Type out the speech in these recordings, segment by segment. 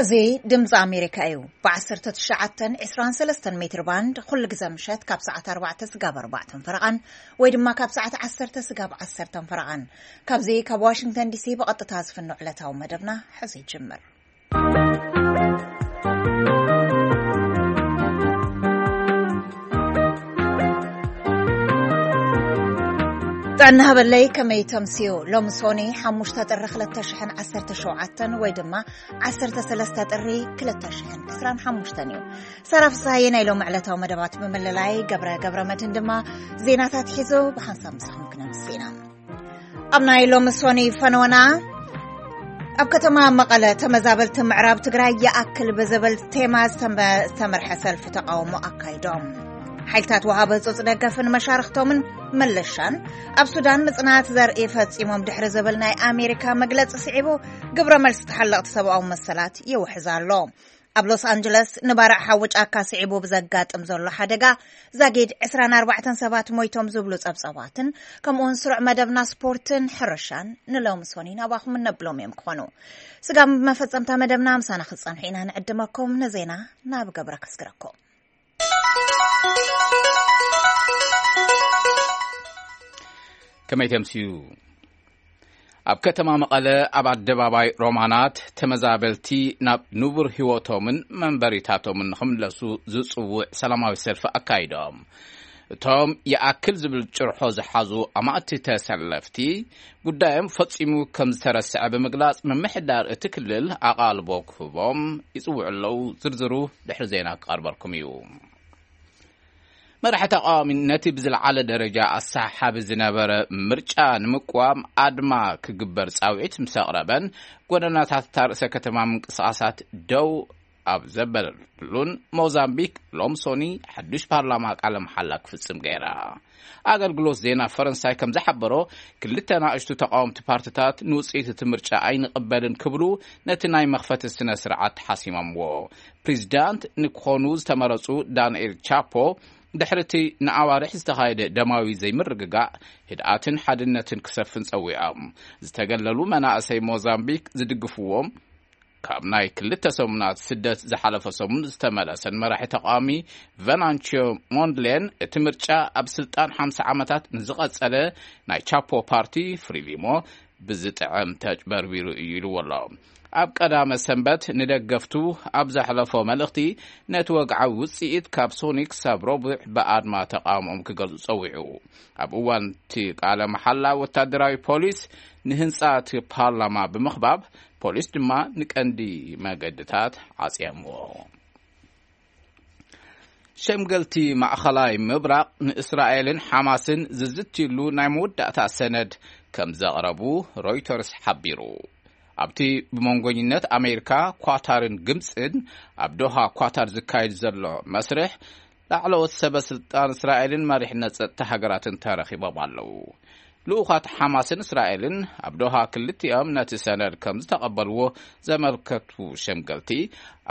እዚ ድምፂ ኣሜሪካ እዩ። ብ1923 ሜትር ባንድ ኩሉ ግዜ ምሸት ካብ ሰዓት ኣርባዕተ ስጋብ ኣርባዕተን ፈረቓን ወይ ድማ ካብ ሰዓት ዓሰርተ ስጋብ ዓሰርተን ፈረቓን፣ ካብዚ ካብ ዋሽንግተን ዲሲ ብቐጥታ ዝፍኖ ዕለታዊ መደብና ሕዚ ይጅምር። ጥዕና ሃበለይ፣ ከመይ ተምስዩ? ሎሚ ሶኒ ሓሙሽተ ጥሪ ክልተ ሽሕን ዓሰርተ ሸውዓተን ወይ ድማ ዓሰርተ ሰለስተ ጥሪ ክልተ ሽሕን ዕስራን ሓሙሽተን እዩ። ሳራ ፍስሃየ ናይ ሎሚ ዕለታዊ መደባት ብምልላይ፣ ገብረ ገብረ መድህን ድማ ዜናታት ሒዙ ብሓንሳብ ምሳኹም ክነምስና። ኣብ ናይ ሎሚ ሶኒ ፈነወና፣ ኣብ ከተማ መቐለ ተመዛበልቲ ምዕራብ ትግራይ ይኣክል ብዝብል ቴማ ዝተመ-፣ ዝተመርሐ ሰልፊ ተቃውሞ ኣካይዶም። ሓይልታት ወሃቢ ህጹጽ ደገፍን መሻርኽቶምን መለሻን ኣብ ሱዳን ምጽናት ዘርኢ ፈጺሞም ድሕሪ ዝብል ናይ ኣሜሪካ መግለጺ ስዒቡ፣ ግብረ መልሲ ተሓለቕቲ ሰብኣዊ መሰላት ይውሕዝ ኣሎ። ኣብ ሎስ ኣንጀለስ ንባርዕ ሓዊ ጫካ ስዒቡ ብዘጋጥም ዘሎ ሓደጋ ዛጊድ ዕስራን ኣርባዕተን ሰባት ሞይቶም ዝብሉ ጸብጸባትን፣ ከምኡውን ስሩዕ መደብና ስፖርትን ሕርሻን ንሎሚ ሶኒ ናባኹም እነብሎም እዮም ክኾኑ። ስጋብ መፈጸምታ መደብና ምሳና ክትጸንሑ ኢና ንዕድመኩም። ንዜና ናብ ገብረ ከስግረኩም። ከመይ ተምስዩ? ኣብ ከተማ መቐለ ኣብ ኣደባባይ ሮማናት ተመዛበልቲ ናብ ንቡር ህይወቶምን መንበሪታቶምን ንኽምለሱ ዝጽውዕ ሰላማዊ ሰልፊ ኣካይዶም። እቶም ይኣክል ዝብል ጭርሖ ዝሓዙ ኣማእቲ ተሰለፍቲ፣ ጉዳዮም ፈጺሙ ከም ዝተረስዐ ብምግላጽ፣ ምምሕዳር እቲ ክልል ኣቓልቦ ክህቦም ይጽውዑ ኣለዉ። ዝርዝሩ ድሕሪ ዜና ክቐርበልኩም እዩ። መራሒ ተቃዋሚ ነቲ ብዝለዓለ ደረጃ ኣሰሓሓቢ ዝነበረ ምርጫ ንምቅዋም ኣድማ ክግበር ጻውዒት ምስ ኣቕረበን፣ ጎደናታት እታ ርእሰ ከተማ ምንቅስቓሳት ደው ኣብ ዘበለሉን፣ ሞዛምቢክ ሎም ሶኒ ሓዱሽ ፓርላማ ቃለ መሓላ ክፍጽም ገይራ። ኣገልግሎት ዜና ፈረንሳይ ከም ዝሓበሮ፣ ክልተ ናእሽቱ ተቃወምቲ ፓርቲታት ንውጽኢት እቲ ምርጫ ኣይንቕበልን ክብሉ ነቲ ናይ መኽፈቲ ስነ ስርዓት ሓሲሞምዎ። ፕሬዚዳንት ንክኾኑ ዝተመረጹ ዳንኤል ቻፖ፣ ድሕሪ እቲ ንኣዋርሕ ዝተኻየደ ደማዊ ዘይምርግጋእ፣ ህድኣትን ሓድነትን ክሰፍን ጸዊዖም። ዝተገለሉ መናእሰይ ሞዛምቢክ ዝድግፍዎም፣ ካብ ናይ ክልተ ሰሙናት ስደት ዝሓለፈ ሰሙን ዝተመለሰን መራሒ ተቃዋሚ ቨናንቺዮ ሞንድሌን፣ እቲ ምርጫ ኣብ ስልጣን ሓምሳ ዓመታት ንዝቐጸለ ናይ ቻፖ ፓርቲ ፍሪሊሞ ብዝጥዕም ተጭበርቢሩ እዩ ኢልዎ ኣሎ። ኣብ ቀዳመ ሰንበት ንደገፍቱ ኣብ ዘሕለፎ መልእኽቲ፣ ነቲ ወግዓዊ ውጽኢት ካብ ሶኒ ክሳብ ረቡዕ ብኣድማ ተቃውሞኦም ክገልጹ ጸዊዑ። ኣብ እዋን እቲ ቃለ መሓላ፣ ወታደራዊ ፖሊስ ንህንጻ እቲ ፓርላማ ብምኽባብ፣ ፖሊስ ድማ ንቀንዲ መገድታት ዓጽዮምዎ። ሸምገልቲ ማእኸላይ ምብራቕ ንእስራኤልን ሓማስን ዝዝትይሉ ናይ መወዳእታ ሰነድ ከም ዘቕረቡ ሮይተርስ ሓቢሩ። ኣብቲ ብመንጎኝነት ኣሜሪካ፣ ኳታርን ግብፅን ኣብ ዶሃ ኳታር ዝካየድ ዘሎ መስርሕ፣ ላዕለዎት ሰበ ስልጣን እስራኤልን መሪሕነት ጸጥታ ሃገራትን ተረኺቦም ኣለዉ። ልኡኻት ሓማስን እስራኤልን ኣብ ዶሃ ክልቲኦም ነቲ ሰነድ ከም ዝተቐበልዎ ዘመልከቱ ሸምገልቲ፣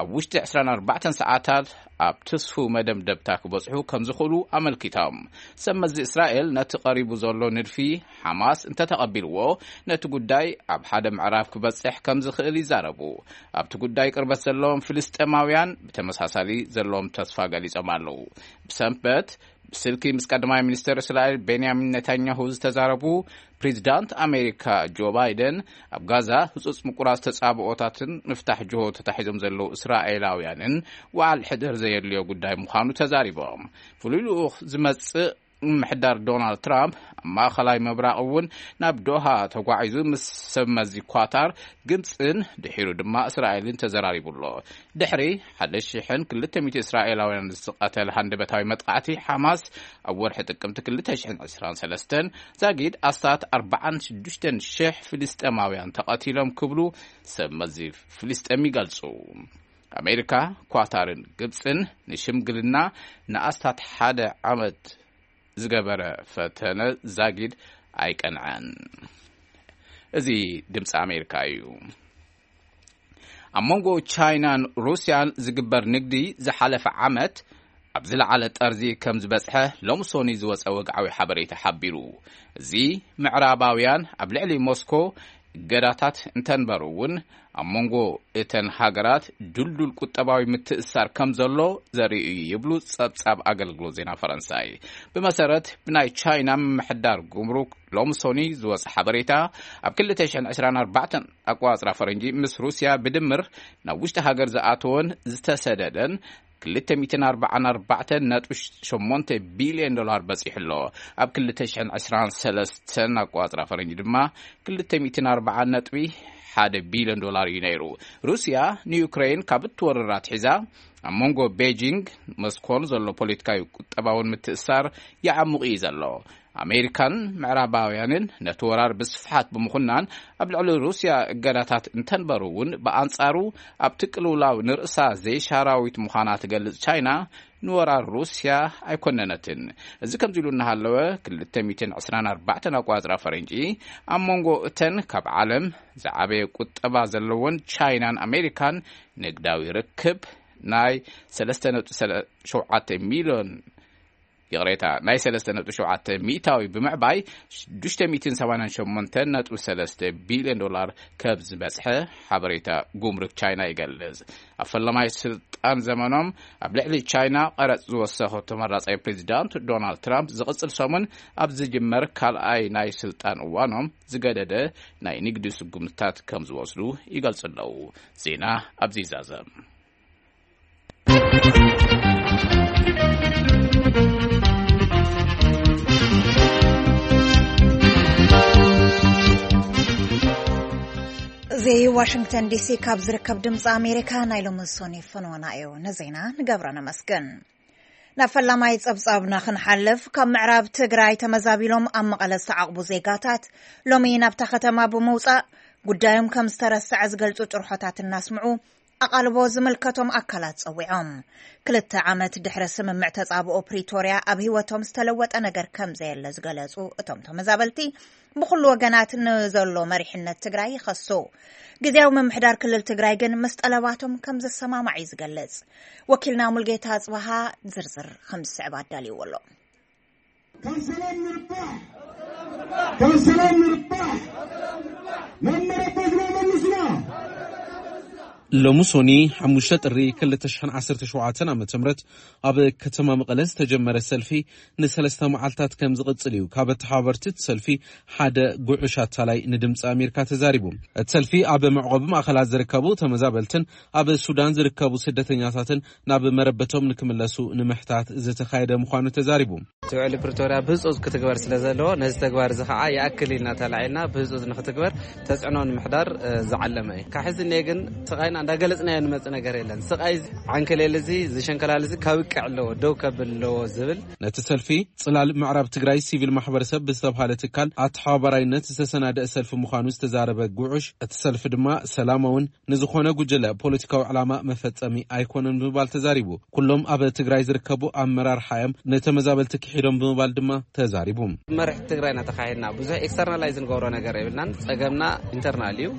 ኣብ ውሽጢ ዕስራን ኣርባዕተን ሰዓታት ኣብ ትስፉው መደምደምታ ክበጽሑ ከም ዝኽእሉ ኣመልኪቶም። ሰብ መዚ እስራኤል ነቲ ቀሪቡ ዘሎ ንድፊ ሓማስ እንተተቐቢልዎ፣ ነቲ ጉዳይ ኣብ ሓደ ምዕራፍ ክበጽሕ ከም ዝኽእል ይዛረቡ። ኣብቲ ጉዳይ ቅርበት ዘለዎም ፍልስጤማውያን ብተመሳሳሊ ዘለዎም ተስፋ ገሊጾም ኣለዉ። ብሰንበት ብስልኪ ምስ ቀዳማይ ሚኒስተር እስራኤል ቤንያሚን ኔታንያሁ ዝተዛረቡ ፕሬዚዳንት ኣሜሪካ ጆ ባይደን፣ ኣብ ጋዛ ህጹጽ ምቁራጽ ተጻብኦታትን ምፍታሕ ጅሆ ተታሒዞም ዘለዉ እስራኤላውያንን ወዓል ሕደር ዘየድልዮ ጉዳይ ምዃኑ ተዛሪቦም። ፍሉይ ልኡኽ ዝመጽእ ምምሕዳር ዶናልድ ትራምፕ ኣብ ማእኸላይ ምብራቕ እውን ናብ ዶሃ ተጓዒዙ ምስ ሰብ መዚ ኳታር፣ ግብፅን ድሒሩ ድማ እስራኤልን ተዘራሪቡ ኣሎ። ድሕሪ ሓደ ሽሕን ክልተ ሚእቲ እስራኤላውያን ዝቐተለ ሃንደበታዊ መጥቃዕቲ ሓማስ፣ ኣብ ወርሒ ጥቅምቲ ክልተ ሽሕን ዕስራን ሰለስተን ዛጊድ ኣስታት ኣርባዓን ሽዱሽተን ሽሕ ፍልስጤማውያን ተቐቲሎም ክብሉ ሰብ መዚ ፍልስጤም ይገልጹ። ኣሜሪካ፣ ኳታርን ግብፅን ንሽምግልና ንኣስታት ሓደ ዓመት ዝገበረ ፈተነ ዛጊድ ኣይቀንዐን። እዚ ድምፂ ኣሜሪካ እዩ። ኣብ መንጎ ቻይናን ሩስያን ዝግበር ንግዲ ዝሓለፈ ዓመት ኣብ ዝለዓለ ጠርዚ ከም ዝበፅሐ ሎሚ ሶኒ ዝወፀ ወግዓዊ ሓበሬታ ሓቢሩ። እዚ ምዕራባውያን ኣብ ልዕሊ ሞስኮ እገዳታት እንተንበሩ እውን፣ ኣብ መንጎ እተን ሃገራት ድልዱል ቁጠባዊ ምትእስሳር ከም ዘሎ ዘርኢ እዩ ይብሉ ጸብጻብ ኣገልግሎት ዜና ፈረንሳይ። ብመሰረት ብናይ ቻይና ምምሕዳር ጉምሩክ ሎምሶኒ ዝወጸ ሓበሬታ፣ ኣብ ክልተ ሽሕን ዕስራን ኣርባዕተን ኣቆጻጽራ ፈረንጂ ምስ ሩስያ ብድምር ናብ ውሽጢ ሃገር ዝኣተወን ዝተሰደደን ክልተ ሚእትን ኣርባዓን ኣርባዕተን ነጥቢ ሸሞንተ ቢልዮን ዶላር በጺሑ ኣሎ። ኣብ ክልተ ሽሕን ዕስራን ሰለስተን ኣቆጻጽራ ፈረንጂ ድማ ክልተ ሚእትን ኣርባዓን ነጥቢ ሓደ ቢልዮን ዶላር እዩ ነይሩ። ሩስያ ንዩክሬን ካብ እትወርር ኣትሒዛ ኣብ መንጎ ቤጂንግ ሞስኮን ዘሎ ፖለቲካዊ ቁጠባውን ምትእሳር ይዓሙቕ እዩ ዘሎ። ኣሜሪካን ምዕራባውያንን ነቲ ወራር ብስፍሓት ብምኹናን ኣብ ልዕሊ ሩስያ እገዳታት እንተንበሩ እውን፣ ብኣንጻሩ ኣብቲ ቅልውላው ንርእሳ ዘይሻራዊት ምዃና ትገልጽ ቻይና ንወራር ሩስያ ኣይኮነነትን። እዚ ከምዚ ኢሉ እናሃለወ፣ ክልተ ሚእትን ዕስራን ኣርባዕተን ኣቆጻጽራ ፈረንጂ ኣብ መንጎ እተን ካብ ዓለም ዝዓበየ ቁጠባ ዘለወን ቻይናን ኣሜሪካን ንግዳዊ ርክብ ናይ ሰለስተ ነጥቢ ሸውዓተ ሚልዮን፣ ይቕሬታ፣ ናይ ሰለስተ ነጥቢ ሸውዓተ ሚእታዊ ብምዕባይ ሽዱሽተ ሚእትን ሰማንያን ሸሞንተን ነጥቢ ሰለስተ ቢልዮን ዶላር ከም ዝበጽሐ ሓበሬታ ጉምሩክ ቻይና ይገልጽ። ኣብ ፈለማይ ስልጣን ዘመኖም ኣብ ልዕሊ ቻይና ቀረጽ ዝወሰኹ ተመራጻይ ፕሬዚዳንት ዶናልድ ትራምፕ፣ ዝቕጽል ሰሙን ኣብ ዝጅመር ካልኣይ ናይ ስልጣን እዋኖም ዝገደደ ናይ ንግዲ ስጉምትታት ከም ዝወስዱ ይገልጹ ኣለዉ። ዜና ኣብዚ ይዛዘም። እዚ ዋሽንግተን ዲሲ ካብ ዝርከብ ድምፂ ኣሜሪካ ናይ ሎሚ ሶኒ ፍኖና እዩ። ንዜና ንገብረ ነመስግን። ናብ ፈላማይ ጸብጻብና ክንሓልፍ፣ ካብ ምዕራብ ትግራይ ተመዛቢሎም ኣብ መቐለ ዝተዓቕቡ ዜጋታት ሎሚ ናብታ ከተማ ብምውጻእ ጉዳዮም ከም ዝተረስዐ ዝገልጹ ጭርሖታት እናስምዑ ኣቓልቦ ዝምልከቶም ኣካላት ጸዊዖም። ክልተ ዓመት ድሕሪ ስምምዕ ተጻብኦ ፕሪቶርያ ኣብ ህይወቶም ዝተለወጠ ነገር ከም ዘየለ ዝገለጹ እቶም ተመዛበልቲ፣ ብኹሉ ወገናት ንዘሎ መሪሕነት ትግራይ ይኸሱ። ግዝያዊ ምምሕዳር ክልል ትግራይ ግን ምስ ጠለባቶም ከም ዝሰማማዕ እዩ ዝገልጽ። ወኪልና ሙልጌታ ኣጽበሃ ዝርዝር ከም ዝስዕብ ኣዳልይዎ ኣሎ። ካብ ሰላም ንርባሕ፣ ካብ ሰላም ንርባሕ፣ ናብ መረበትና መልስና። ሎሚ ሶኒ ሓሙሽተ ጥሪ ክልተ ሽሕን ዓሰርተ ሸውዓተን ዓመተ ምህረት ኣብ ከተማ መቐለ ዝተጀመረ ሰልፊ ንሰለስተ መዓልታት ከም ዝቕጽል እዩ ካብ ኣተሓባበርቲ እቲ ሰልፊ ሓደ ጉዑሽ ኣታላይ ንድምፂ ኣሜሪካ ተዛሪቡ። እቲ ሰልፊ ኣብ መዕቆቢ ማእኸላት ዝርከቡ ተመዛበልትን ኣብ ሱዳን ዝርከቡ ስደተኛታትን ናብ መረበቶም ንክምለሱ ንምሕታት ዝተኻየደ ምዃኑ ተዛሪቡ። እቲ ውዕሊ ፕሪቶርያ ብህጹጽ ክትግበር ስለ ዘለዎ፣ ነዚ ተግባር እዚ ኸዓ ይኣክል ኢልና ተላዒልና ብህጹጽ ንክትግበር ተጽዕኖ ንምሕዳር፣ እ፣ ዝዓለመ እዩ። ካብ ሕዚ እኒአ ግን ስቓይና እንዳገለጽናዮ ንመጽእ ነገር የለን። ስቓይ እዚ ዓንከሌል እዚ፣ እዚ ሸንከላል እዚ ከብቅዕ ኣለዎ፣ ደው ከብል ኣለዎ ዝብል። ነቲ ሰልፊ ጽላል ምዕራብ ትግራይ ሲቪል ማሕበረሰብ ብዝተብሃለ ትካል ኣተሓባባራይነት ዝተሰናደአ ሰልፊ ምዃኑ ዝተዛረበ ጉዑሽ፣ እቲ ሰልፊ ድማ ሰላማውን ንዝኾነ ጉጅለ ፖለቲካዊ ዕላማ መፈጸሚ ኣይኮነን ብምባል ተዛሪቡ። ኩሎም ኣብ ትግራይ ዝርከቡ ኣመራርሓ እዮም ንተመዛበልቲ ክሒዶም ብምባል ድማ ተዛሪቡ። መርሒ ትግራይና ተኻሂድና ብዙሕ ኤክስተርናላይዝ ንገብሮ ነገር የብልናን። ጸገምና ኢንተርናል እዩ።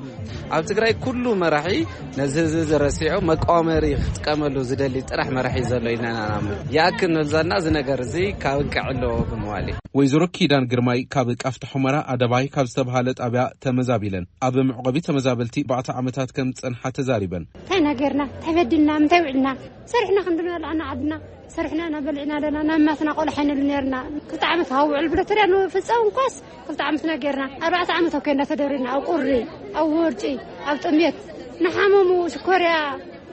ኣብ ትግራይ ኩሉ መራሒ ነዚ ህዝቢ ዝረሲዑ መቃወመሪ ክጥቀመሉ ዝደሊ ጥራሕ መራሒ ዘሎ ኢልና ኢና ንኣምን። ይኣክል ንብል ዘለና እዚ ነገር እዚ ካብ እንቅዕ ኣለዎ ብምባል እዩ። ወይዘሮ ኪዳን ግርማይ ካብ ቃፍታ ሑመራ ኣደባይ ካብ ዝተብሃለ ጣብያ ተመዛቢለን ኣብ መዕቆቢ ተመዛበልቲ ኣርባዕተ ዓመታት ከም ዝጸንሓ ተዛሪበን። እንታይ ኢና ጌርና? እንታይ በዲልና? ምንታይ ውዕልና? ሰሪሕና ክንዲ ንበልዕ ዓድና፣ ሰሪሕና ኢና በሊዕና ኣለና። ናብ ማስና ቆልዓ ኣይንብልን ነርና። ክልተ ዓመት ካብ ውዕል ብለተርያ ንፍጸም እንኳስ ክልተ ዓመትና ጌርና። ኣርባዕተ ዓመት ኣብ ኬንዳ ተደሪና፣ ኣብ ቁሪ፣ ኣብ ወርጪ፣ ኣብ ጥሜት፣ ንሓመሙ ሽኮርያ፣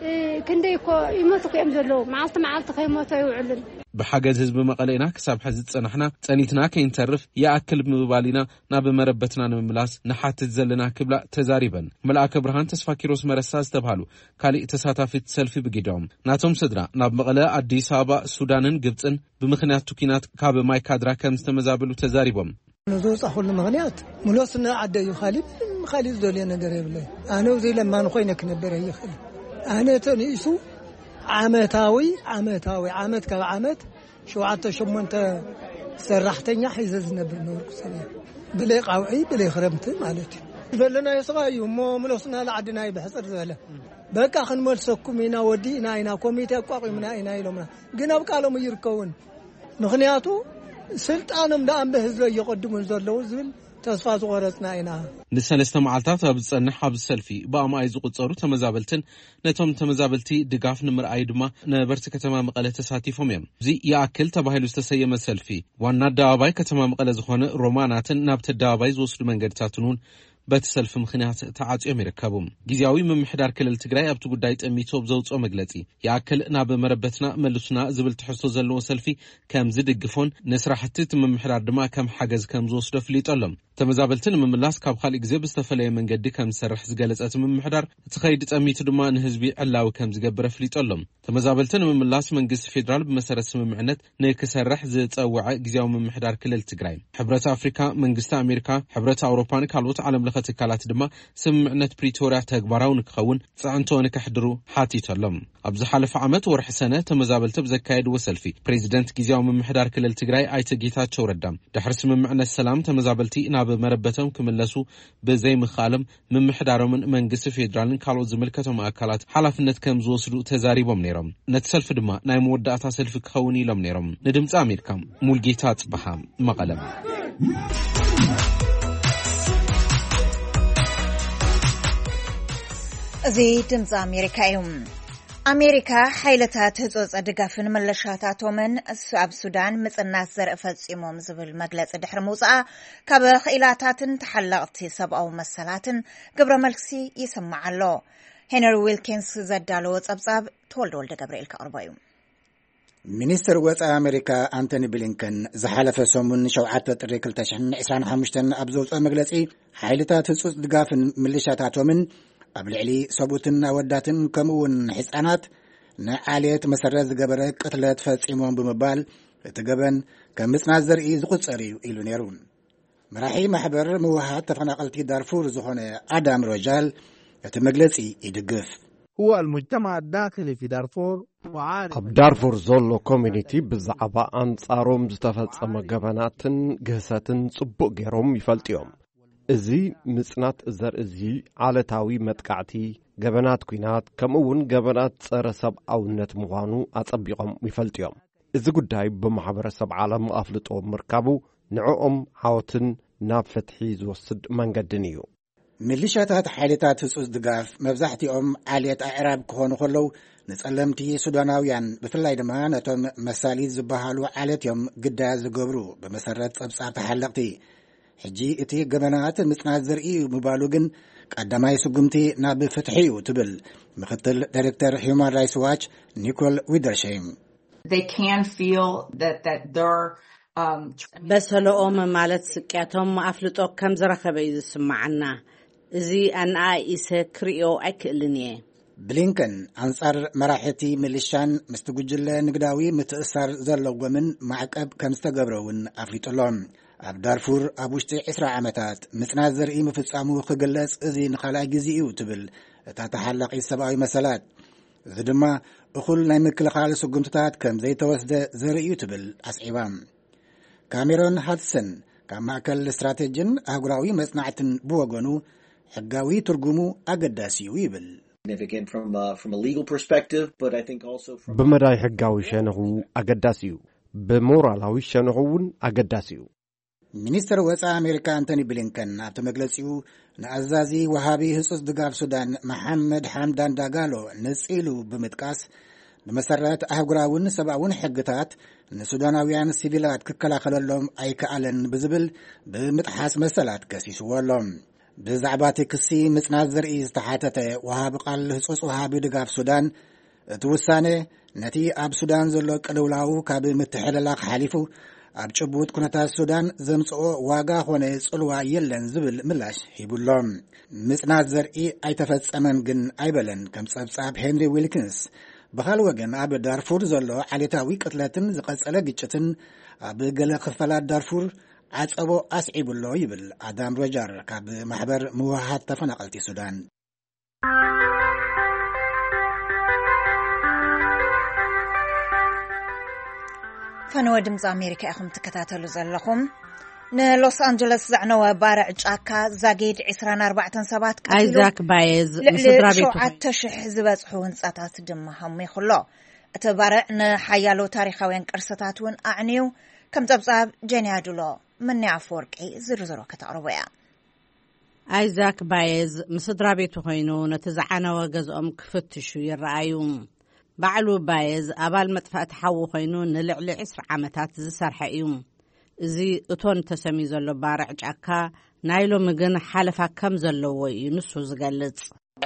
እ፣ ክንደይ እኮ ይሞቱ እኮ እዮም ዘለዉ። መዓልቲ መዓልቲ ከይሞቱ ኣይውዕሉን። ብሓገዝ ህዝቢ መቐለ ኢና ክሳብ ሕዚ ዝጸናሕና፣ ጸኒትና ከይንተርፍ ይኣክል ብምባል ኢና ናብ መረበትና ንምምላስ ንሓትት ዘለና ክብላ ተዛሪበን። መልኣከ ብርሃን ተስፋኪሮስ መረሳ ዝተብሃሉ ካሊእ ተሳታፊት ሰልፊ ብጊዶም፣ ናቶም ስድራ ናብ መቐለ፣ ኣዲስ ኣበባ፣ ሱዳንን ግብፅን ብምኽንያት ኲናት ካብ ማይ ካድራ ከም ዝተመዛበሉ ተዛሪቦም። ንዝወፃኹሉ ምኽንያት ምሎስና ዓደ እዩ። ካሊእ ምንም ካሊእ ዝደልዮ ነገር የብለይ። ኣነ ውዘይ ለማን ኮይነ ክነበር ኣይኽእል። ኣነ ተንኢሱ ዓመታዊ፣ ዓመታዊ፣ ዓመት ካብ ዓመት ሸውዓተ ሸሞንተ ሰራሕተኛ ሒዘ ዝነብር ነበርኩ ሰብ እየ። ብለይ ቃውዒ፣ ብለይ ክረምቲ ማለት እዩ። ዝበለናዮ ስቓይ እዩ እሞ ምሎስና ለዓድና እዩ ብሕፅር ዝበለ። በቃ ክንመልሰኩም ኢና፣ ወዲእና ኢና፣ ኮሚቴ ኣቋቒምና ኢና ኢሎምና። ግን ኣብ ቃሎም ይርከውን። ምኽንያቱ ስልጣኖም ደኣ እምበ ህዝቢ እየቐድሙን ዘለዉ ዝብል ተስፋ ዝቆረጽና ኢና። ንሰለስተ መዓልታት ኣብ ዝጸንሕ ኣብዚ ሰልፊ ብኣማይ ዝቑጸሩ ተመዛበልትን ነቶም ተመዛበልቲ ድጋፍ ንምርኣይ ድማ ነበርቲ ከተማ መቐለ ተሳቲፎም እዮም። እዚ ይኣክል ተባሂሉ ዝተሰየመ ሰልፊ ዋና ኣደባባይ ከተማ መቐለ ዝኾነ ሮማናትን ናብቲ ኣደባባይ ዝወስዱ መንገድታትን እውን በቲ ሰልፊ ምኽንያት ተዓጽዮም ይርከቡ። ግዜያዊ ምምሕዳር ክልል ትግራይ ኣብቲ ጉዳይ ጠሚቱ ኣብ ዘውፅኦ መግለፂ፣ ይኣክል ናብ መረበትና መልሱና ዝብል ትሕዝቶ ዘለዎ ሰልፊ ከም ዝድግፎን ንስራሕቲ እቲ ምምሕዳር ድማ ከም ሓገዝ ከም ዝወስዶ ኣፍሊጡ ኣሎ። ተመዛበልቲ ንምምላስ ካብ ካልእ ግዜ ብዝተፈለየ መንገዲ ከም ዝሰርሕ ዝገለጸ እቲ ምምሕዳር፣ እቲ ኸይዲ ጠሚቱ ድማ ንህዝቢ ዕላዊ ከም ዝገብር ኣፍሊጡ ኣሎ። ተመዛበልቲ ንምምላስ መንግስቲ ፌዴራል ብመሰረት ስምምዕነት ንክሰርሕ ዝጸውዐ ግዜያዊ ምምሕዳር ክልል ትግራይ፣ ሕብረት ኣፍሪካ፣ መንግስቲ ኣሜሪካ፣ ሕብረት ኣውሮፓን ካልኦት ዓለም ለኸ ትካላት ድማ ስምምዕነት ፕሪቶርያ ተግባራዊ ንክኸውን ፅዕንቶ ንከሕድሩ ሓቲቱ ኣሎ። ኣብ ዝሓለፈ ዓመት ወርሒ ሰነ ተመዛበልቲ ብዘካየድዎ ሰልፊ፣ ፕሬዚደንት ግዜያዊ ምምሕዳር ክልል ትግራይ ኣይተ ጌታቸው ረዳ፣ ድሕሪ ስምምዕነት ሰላም ተመዛበልቲ ናብ መረበቶም ክምለሱ ብዘይምኽኣሎም፣ ምምሕዳሮምን መንግስቲ ፌዴራልን ካልኦት ዝምልከቶም ኣካላት ሓላፍነት ከም ዝወስዱ ተዛሪቦም ነይሮም። ነቲ ሰልፊ ድማ ናይ መወዳእታ ሰልፊ ክኸውን ኢሎም ነይሮም። ንድምፂ ኣሜሪካ፣ ሙልጌታ ጽበሃ፣ መቐለ። እዚ ድምፂ ኣሜሪካ እዩ። ኣሜሪካ ሓይልታት ህጹጽ ድጋፍን መለሻታቶምን ስ-፣ ኣብ ሱዳን ምጽናት ዘርኢ ፈጺሞም ዝብል መግለጺ ድሕሪ ምውጽኣ፣ ካብ ክኢላታትን ተሓለቕቲ ሰብኣዊ መሰላትን ግብረ መልሲ ይስማዕ ኣሎ። ሄነሪ ዊልኪንስ ዘዳለዎ ጸብጻብ ተወልደ ወልደ ገብርኤል ከቕርቦ እዩ። ሚኒስትር ወጻኢ ኣሜሪካ ኣንቶኒ ብሊንከን ዝሓለፈ ሰሙን ሸውዓተ ጥሪ ክልተ ሽሕን ዕስራን ሓሙሽተን ኣብ ዘውጽኦ መግለጺ፣ ሓይልታት ህጹጽ ድጋፍን ምልሻታቶምን ኣብ ልዕሊ ሰብኡትን ኣወዳትን ከምኡ እውን ህጻናት ንዓሌት መሰረት ዝገበረ ቅትለት ፈጺሞም ብምባል፣ እቲ ገበን ከም ምጽናት ዘርኢ ዝቑጸር እዩ ኢሉ ነይሩ። መራሒ ማሕበር ምውሃድ ተፈናቐልቲ ዳርፉር ዝኾነ ኣዳም ሮጃል እቲ መግለጺ ይድግፍ። هو المجتمع الداخلي في دارفور وعارف ኣብ ዳርፉር ዘሎ ኮሚኒቲ ብዛዕባ ኣንጻሮም ዝተፈጸመ ገበናትን ግህሰትን ጽቡቕ ገይሮም ይፈልጡ እዮም። እዚ ምጽናት ዘርኢ እዚ ዓለታዊ መጥቃዕቲ፣ ገበናት ኲናት፣ ከምኡ እውን ገበናት ጸረ ሰብኣውነት ምዃኑ ኣጸቢቖም ይፈልጡ እዮም። እዚ ጉዳይ ብማሕበረሰብ ዓለም ኣፍልጦ ምርካቡ ንዕኦም ዓወትን ናብ ፍትሒ ዝወስድ መንገድን እዩ። ሚሊሻታት ሓይልታት ህጹጽ ድጋፍ መብዛሕትኦም ዓሌት ኣዕራብ ክኾኑ ከለዉ፣ ንጸለምቲ ሱዳናውያን ብፍላይ ድማ ነቶም መሳሊት ዝበሃሉ ዓሌት እዮም ግዳያት ዝገብሩ፣ ብመሰረት ጸብጻብ ተሓለቕቲ። ሕጂ እቲ ገበናት ምጽናት ዘርኢ እዩ ምባሉ ግን ቀዳማይ ስጉምቲ ናብ ፍትሒ እዩ ትብል ምክትል ዳይሬክተር ሂዩማን ራይትስ ዋች ኒኮል ዊደርሸይም። They can feel that, that their, um, በሰለኦም ማለት ስቅያቶም ኣፍልጦ ከም ዝረኸበ እዩ ዝስምዓና። እዚ ኣነኣኢሰ ክርእዮ ኣይክእልን እየ። ብሊንከን ኣንጻር መራሕቲ ሚሊሻን ምስቲ ጉጅለ ንግዳዊ ምትእሳር ዘለዎምን ማዕቀብ ከም ዝተገብረ እውን ኣፍሊጡ ኣሎ። ኣብ ዳርፉር ኣብ ውሽጢ ዕስራ ዓመታት ምጽናት ዘርኢ ምፍጻሙ ክግለጽ እዚ ንኻልኣይ ግዜ እዩ ትብል እታ ተሓላቒት ሰብኣዊ መሰላት። እዚ ድማ እኹል ናይ ምክልኻል ስጉምትታት ከም ዘይተወስደ ዘርኢ እዩ ትብል ኣስዒባ። ካሜሮን ሃድሰን ካብ ማእከል ስትራቴጂን ኣህጉራዊ መጽናዕትን ብወገኑ፣ ሕጋዊ ትርጉሙ ኣገዳሲ እዩ ይብል። Significant from a, from a legal perspective, but I think also from ብመዳይ ሕጋዊ ሸነኹ ኣገዳሲ እዩ። ብሞራላዊ ሸነኹ እውን ኣገዳሲ እዩ። ሚኒስትር ወጻኢ ኣሜሪካ ኣንቶኒ ብሊንከን ኣብቲ መግለጺኡ፣ ንኣዛዚ ወሃቢ ህጹጽ ድጋፍ ሱዳን መሓመድ ሓምዳን ዳጋሎ ንጽኢሉ ብምጥቃስ፣ ብመሰረት ኣህጉራውን ሰብኣውን ሕግታት ንሱዳናውያን ሲቪላት ክከላኸለሎም ኣይከኣለን ብዝብል ብምጥሓስ መሰላት ከሲስዎ ኣሎ። ብዛዕባ እቲ ክሲ ምጽናት ዘርኢ ዝተሓተተ ወሃቢ ቃል ህጹጽ ወሃቢ ድጋፍ ሱዳን፣ እቲ ውሳነ ነቲ ኣብ ሱዳን ዘሎ ቅልውላው ካብ ምትሕልላኽ ሓሊፉ ኣብ ጭቡጥ ኩነታት ሱዳን ዘምጽኦ ዋጋ ኾነ ጽልዋ የለን ዝብል ምላሽ ሂቡ ኣሎ። ምጽናት ዘርኢ ኣይተፈጸመን ግን ኣይበለን፣ ከም ጸብጻብ ሄንሪ ዊልኪንስ። ብኻልእ ወገን ኣብ ዳርፉር ዘሎ ዓሌታዊ ቅትለትን ዝቐጸለ ግጭትን ኣብ ገለ ክፋላት ዳርፉር ዓጸቦ ኣስዒቡ ኣሎ ይብል ኣዳም ሮጀር ካብ ማሕበር ምውሃሃድ ተፈናቐልቲ ሱዳን። ፈነወ ድምፂ ኣሜሪካ ኢኹም ትከታተሉ ዘለኹም። ንሎስ ኣንጀለስ ዘዕነወ ባርዕ ጫካ ዛጊድ ዕስራን ኣርባዕተን ሰባት ቀቲሉ፣ ኣይዛክ ባየዝ ልዕሊ ምስ ስድራ ቤቱ ሸውዓተ ሽሕ ዝበጽሑ ህንጻታት ድማ ሃሚኹ ኣሎ። እቲ ባርዕ ንሓያሎ ታሪኻውያን ቅርስታት እውን ኣዕንዩ፣ ከም ጸብጻብ ጀንያ ዱሎ። መኒ ኣፈወርቂ ዝርዝሮ ከተቕርቦ እያ። ኣይዛክ ባየዝ ምስ ስድራ ቤቱ ኮይኑ ነቲ ዝዓነወ ገዝኦም ክፍትሹ ይረኣዩ። ባዕሉ ባየዝ ኣባል መጥፋእቲ ሓዊ ኮይኑ ንልዕሊ ዕስራ ዓመታት ዝሰርሐ እዩ። እዚ እቶን ተሰምዩ ዘሎ ባርዕ ጫካ ናይ ሎሚ ግን ሓለፋ ከም ዘለዎ እዩ ንሱ ዝገልጽ።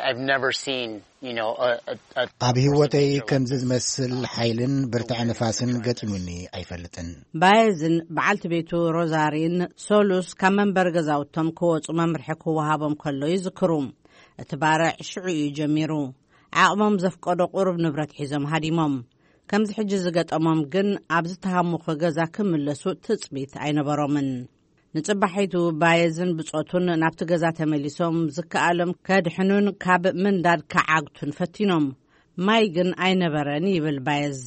I've never seen, you know, a, a, a ኣብ ህይወተይ ከምዚ ዝመስል ሓይልን ብርትዐ ንፋስን ገጢሙኒ ኣይፈልጥን። ባየዝን በዓልቲ ቤቱ ሮዛሪን ሶሉስ ካብ መንበሪ ገዛውቶም ክወጹ መምርሒ ክወሃቦም ከሎ ይዝክሩ። እቲ ባርዕ ሽዑ እዩ ጀሚሩ። ዓቕሞም ዘፍቀዶ ቁሩብ ንብረት ሒዞም ሃዲሞም። ከምዚ ሕጂ ዝገጠሞም ግን ኣብ ዝተሃሙኸ ገዛ ክምለሱ ትጽቢት ኣይነበሮምን። ንጽባሒቱ ባየዝን ብጾቱን ናብቲ ገዛ ተመሊሶም ዝከኣሎም ከድሕኑን ካብ ምንዳድ ክዓግቱን ፈቲኖም። ማይ ግን ኣይነበረን ይብል ባየዝ።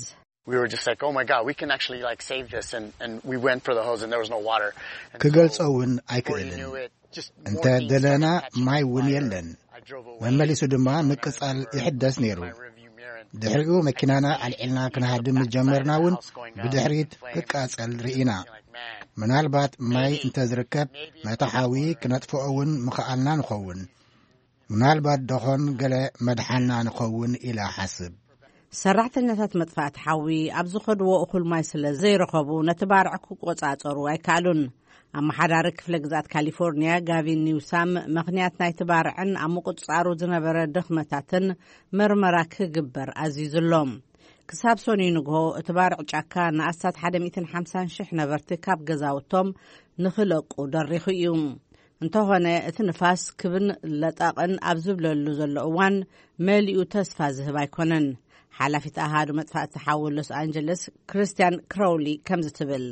We were just like, oh my God, we can actually like save this, and and we went for the hose, and there was no water. And ክገልጾ so, እውን before you ኣይክእልን። knew it, just እንተ more things started ደለና catching ማይ እውን fire. የለን። I drove away. መመሊሱ ድማ I ምቅጻል remember ይሕደስ ነይሩ። my rearview mirror and ድሕሪኡ መኪናና ኣልዒልና ክንሃድም ዝጀመርና እውን ብድሕሪት ክቃጸል ርኢና። ምናልባት ማይ እንተ ዝርከብ ነቲ ሓዊ ክነጥፍኦ እውን ምኽኣልና ንኸውን። ምናልባት ደኾን ገለ መድሓና ንኸውን ኢለ እሓስብ። ሰራሕተኛታት መጥፋእቲ ሓዊ ኣብ ዝኸድዎ እኹል ማይ ስለ ዘይረኸቡ ነቲ ባርዕ ክቆጻጸሩ ኣይከኣሉን። ኣመሓዳሪ ክፍለ ግዝኣት ካሊፎርኒያ ጋቪን ኒውሳም ምኽንያት ናይቲ ባርዕን ኣብ ምቁጽጻሩ ዝነበረ ድኽመታትን ምርመራ ክግበር ኣዚዙ ኣሎ። ክሳብ ሰኑይ ንግሆ እቲ ባርዕ ጫካ ንኣስታት ሓደ ሚእትን ሓምሳን ሽሕ ነበርቲ ካብ ገዛውቶም ንኽለቁ ደሪኹ እዩ። እንተኾነ እቲ ንፋስ ክብን ለጠቕን ኣብ ዝብለሉ ዘሎ እዋን መሊኡ ተስፋ ዝህብ ኣይኮነን። ሓላፊት ኣሃዱ መጥፋእቲ ሓዊ ሎስ ኣንጀለስ ክርስቲያን ክራውሊ ከምዚ ትብል።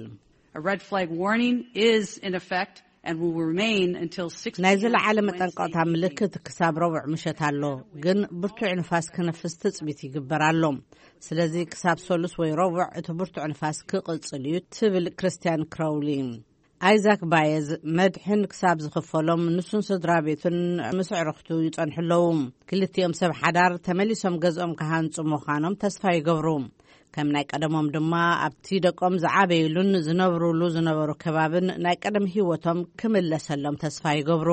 A red flag warning is in effect and will remain until six ናይ ዝለዓለ መጠንቀቕታ ምልክት ክሳብ ረቡዕ ምሸት ኣሎ፣ ግን ብርቱዕ ንፋስ ክነፍስ ትጽቢት ይግበር ኣሎ። ስለዚ ክሳብ ሰሉስ ወይ ረቡዕ እቲ ብርቱዕ ንፋስ ክቕጽል እዩ ትብል ክርስቲያን ክራውሊ። ኣይዛክ ባየዝ መድሕን ክሳብ ዝኽፈሎም ንሱን ስድራ ቤቱን ምስ ዕርኽቱ ይጸንሑ ኣለዉ። ክልቲኦም ሰብ ሓዳር ተመሊሶም ገዝኦም ክሃንጹ ምዃኖም ተስፋ ይገብሩ። ከም ናይ ቀደሞም ድማ ኣብቲ ደቆም ዝዓበይሉን ዝነብሩሉ ዝነበሩ ከባብን ናይ ቀደም ህይወቶም ክምለሰሎም ተስፋ ይገብሩ።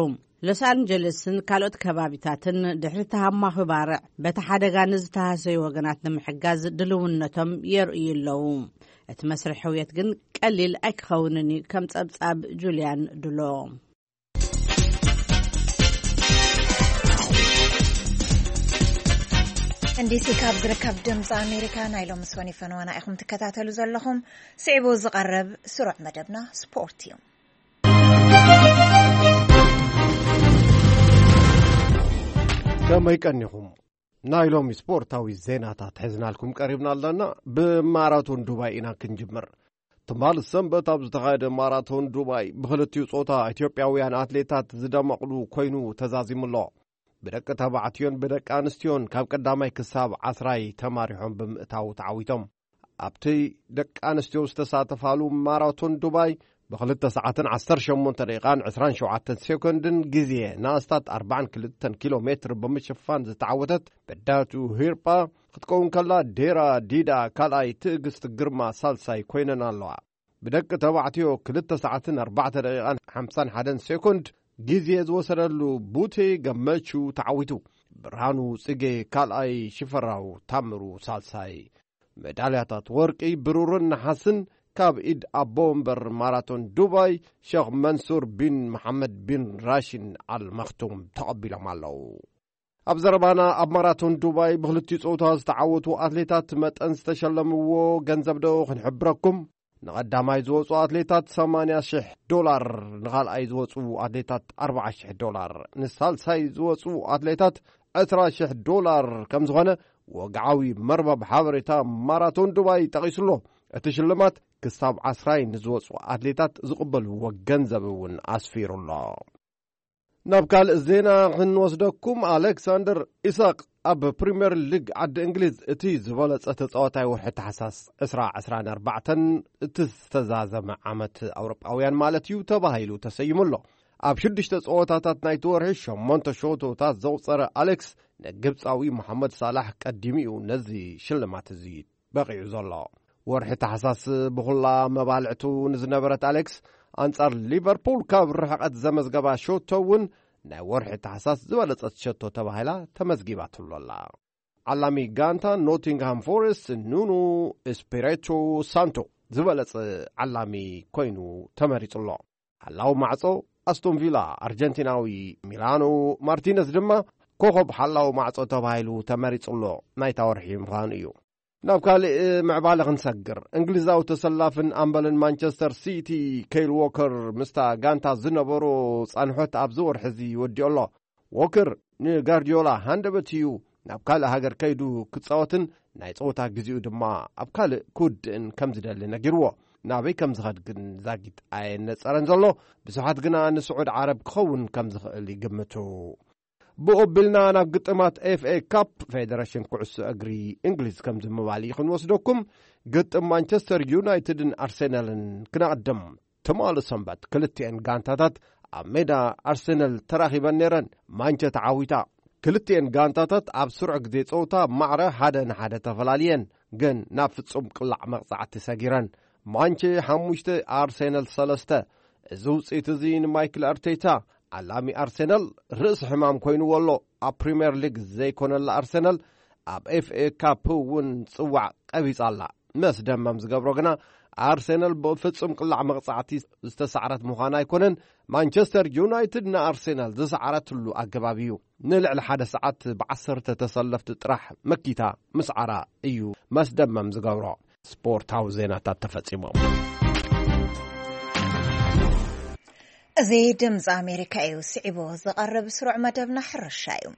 ሎስ ኣንጀለስን ካልኦት ከባቢታትን ድሕሪ ተሃማኺ ባርዕ በቲ ሓደጋ ንዝተሃሰዩ ወገናት ንምሕጋዝ ድልውነቶም የርእዩ ኣለዉ። እቲ መስርሕ ሕውየት ግን ቀሊል ኣይክኸውንን እዩ፣ ከም ጸብጻብ ጁልያን ድሎ። እንዲሲ ካብ ዝርከብ ድምፂ ኣሜሪካ ናይ ሎሚ ሰኒ ፈነዋና ኢኹም ትከታተሉ ዘለኹም። ስዒቡ ዝቐርብ ስሩዕ መደብና ስፖርት እዩ። ከመይ ቀኒኹም? ናይ ሎሚ ስፖርታዊ ዜናታት ሒዝናልኩም ቀሪብና ኣለና። ብማራቶን ዱባይ ኢና ክንጅምር። ትማል ሰንበት ኣብ ዝተኻየደ ማራቶን ዱባይ ብኽልቲኡ ጾታ ኢትዮጵያውያን ኣትሌታት ዝደመቕሉ ኮይኑ ተዛዚሙ ኣሎ። ብደቂ ተባዕትዮን ብደቂ ኣንስትዮን ካብ ቀዳማይ ክሳብ ዓስራይ ተማሪሖም ብምእታው ተዓዊቶም። ኣብቲ ደቂ ኣንስትዮ ዝተሳተፋሉ ማራቶን ዱባይ ብክልተ ሰዓትን ዓሰርተ ሸሞንተ ደቂቓን ዕስራን ሸውዓተን ሴኮንድን ግዜ ንኣስታት ኣርባዓን ክልተን ኪሎ ሜትር ብምሽፋን ዝተዓወተት በዳቱ ሂርጳ ክትከውን ከላ፣ ዴራ ዲዳ ካልኣይ፣ ትዕግስቲ ግርማ ሳልሳይ ኮይነን ኣለዋ። ብደቂ ተባዕትዮ ክልተ ሰዓትን ኣርባዕተ ደቂቓን ሓምሳን ሓደን ሴኮንድ ግዜ ዝወሰደሉ ቡቴ ገመቹ ተዓዊቱ። ብርሃኑ ጽጌ ካልኣይ፣ ሽፈራው ታምሩ ሳልሳይ። ሜዳልያታት ወርቂ፣ ብሩርን ነሓስን ካብ ኢድ ኣቦ ወንበር ማራቶን ዱባይ ሸኽ መንሱር ቢን መሓመድ ቢን ራሽን ኣል መኽቱም ተቐቢሎም ኣለዉ። ኣብ ዘረባና፣ ኣብ ማራቶን ዱባይ ብኽልቲኡ ጾታ ዝተዓወቱ ኣትሌታት መጠን ዝተሸለምዎ ገንዘብ ዶ ክንሕብረኩም? ንቐዳማይ ዝወጹ ኣትሌታት ሰማንያ ሽሕ ዶላር፣ ንኻልኣይ ዝወጹ ኣትሌታት ኣርብዓ ሽሕ ዶላር፣ ንሳልሳይ ዝወጹ ኣትሌታት ዕስራ ሽሕ ዶላር ከም ዝኾነ ወግዓዊ መርበብ ሓበሬታ ማራቶን ዱባይ ጠቒሱ ኣሎ። እቲ ሽልማት ክሳብ ዓስራይ ንዝወጹ ኣትሌታት ዝቕበልዎ ገንዘብ እውን ኣስፊሩ ኣሎ። ናብ ካልእ ዜና ክንወስደኩም፣ ኣሌክሳንደር ኢሳቅ ኣብ ፕሪምየር ሊግ ዓዲ እንግሊዝ እቲ ዝበለጸ ተጻዋታይ ወርሒ ታሕሳስ ዕስራ ዕስራን ኣርባዕተን፣ እቲ ዝተዛዘመ ዓመት ኣውሮጳውያን ማለት እዩ፣ ተባሂሉ ተሰይሙ ኣሎ። ኣብ ሽዱሽተ ጸወታታት ናይቲ ወርሒ ሸሞንተ ሸቶታት ዘቑጸረ ኣሌክስ፣ ንግብጻዊ መሓመድ ሳላሕ ቀዲሙ እዩ ነዚ ሽልማት እዚ በቒዑ ዘሎ። ወርሒ ታሕሳስ ብኹላ መባልዕቱ ንዝነበረት ኣሌክስ፣ ኣንጻር ሊቨርፑል ካብ ርሕቐት ዘመዝገባ ሸቶ እውን ናይ ወርሒ ታሕሳስ ዝበለጸት ሸቶ ተባሂላ ተመዝጊባትሉ ኣላ። ዓላሚ ጋንታ ኖቲንግሃም ፎረስት ኑኑ ኤስፒሪቶ ሳንቶ ዝበለጸ ዓላሚ ኮይኑ ተመሪጹ ኣሎ። ሓላው ማዕጾ ኣስቶን ቪላ ኣርጀንቲናዊ ሚላኖ ማርቲነዝ ድማ ኮኸብ ሓላው ማዕጾ ተባሂሉ ተመሪጹ ኣሎ። ናይታ ወርሒ ምዃኑ እዩ። ናብ ካልእ ምዕባለ ክንሰግር፣ እንግሊዛዊ ተሰላፍን ኣምበልን ማንቸስተር ሲቲ ከይል ዎከር ምስታ ጋንታ ዝነበሮ ጻንሖት ኣብዚ ወርሒ እዚ ወዲኡ ኣሎ። ዎከር ንጋርዲዮላ ሃንደበት እዩ ናብ ካልእ ሃገር ከይዱ ክጻወትን ናይ ጸወታ ግዜኡ ድማ ኣብ ካልእ ክውድእን ከም ዝደሊ ነጊርዎ። ናበይ ከም ዝኸድ ግን ዛጊት ኣየነጸረን ዘሎ። ብዙሓት ግና ንስዑድ ዓረብ ክኸውን ከም ዝኽእል ይግምቱ። ብኦቢልና ናብ ግጥማት ኤፍኤ ካፕ ፌደሬሽን ኩዕሶ እግሪ እንግሊዝ ከም ዝምባል እዩ ክንወስደኩም። ግጥም ማንቸስተር ዩናይትድን ኣርሴናልን ክነቕድም። ትማሊ ሰንበት ክልቲኤን ጋንታታት ኣብ ሜዳ ኣርሴናል ተራኺበን ነይረን። ማንቸ ተዓዊታ። ክልቲኤን ጋንታታት ኣብ ስሩዕ ግዜ ጸወታ ማዕረ ሓደ ንሓደ ተፈላልየን፣ ግን ናብ ፍጹም ቅላዕ መቕጻዕቲ ሰጊረን። ማንቸ ሓሙሽተ፣ ኣርሴናል ሰለስተ። እዚ ውጽኢት እዚ ንማይክል ኣርቴታ፣ ዓላሚ ኣርሴናል፣ ርእሲ ሕማም ኮይንዎ ኣሎ። ኣብ ፕሪምየር ሊግ ዘይኮነላ ኣርሴናል ኣብ ኤፍኤ ካፕ እውን ጽዋዕ ቀቢጻ ኣላ። መስደመም ዝገብሮ ግና ኣርሴናል ብፍጹም ቅላዕ መቕጻዕቲ ዝተሳዕረት ምዃና ኣይኮነን። ማንቸስተር ዩናይትድ ንኣርሴናል ዝሰዓረትሉ ኣገባብ እዩ። ንልዕሊ ሓደ ሰዓት ብዓሰርተ ተሰለፍቲ ጥራሕ መኪታ ምስዓራ እዩ መስደመም ዝገብሮ። ስፖርታዊ ዜናታት ተፈጺሞም። እዚ ድምፂ ኣሜሪካ እዩ። ስዒቡ ዝቐርብ ስሩዕ መደብና ሕርሻ እዩ።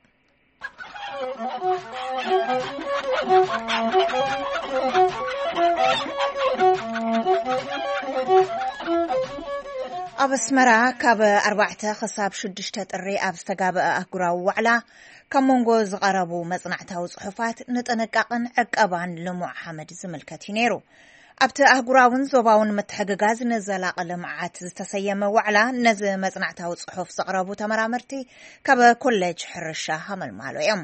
ኣብ ኣስመራ ካብ ኣርባዕተ ክሳብ ሽዱሽተ ጥሪ ኣብ ዝተጋበአ ኣህጉራዊ ዋዕላ፣ ካብ መንጎ ዝቐረቡ መጽናዕታዊ ጽሑፋት ንጥንቃቕን ዕቀባን ልሙዕ ሓመድ ዝምልከት እዩ ነይሩ። ኣብቲ ኣህጉራውን ዞባውን ምትሕግጋዝ ንዘላቒ ልምዓት ዝተሰየመ ዋዕላ፣ ነዚ መጽናዕታዊ ጽሑፍ ዘቕረቡ ተመራመርቲ ካብ ኮሌጅ ሕርሻ ሃመልማሎ እዮም።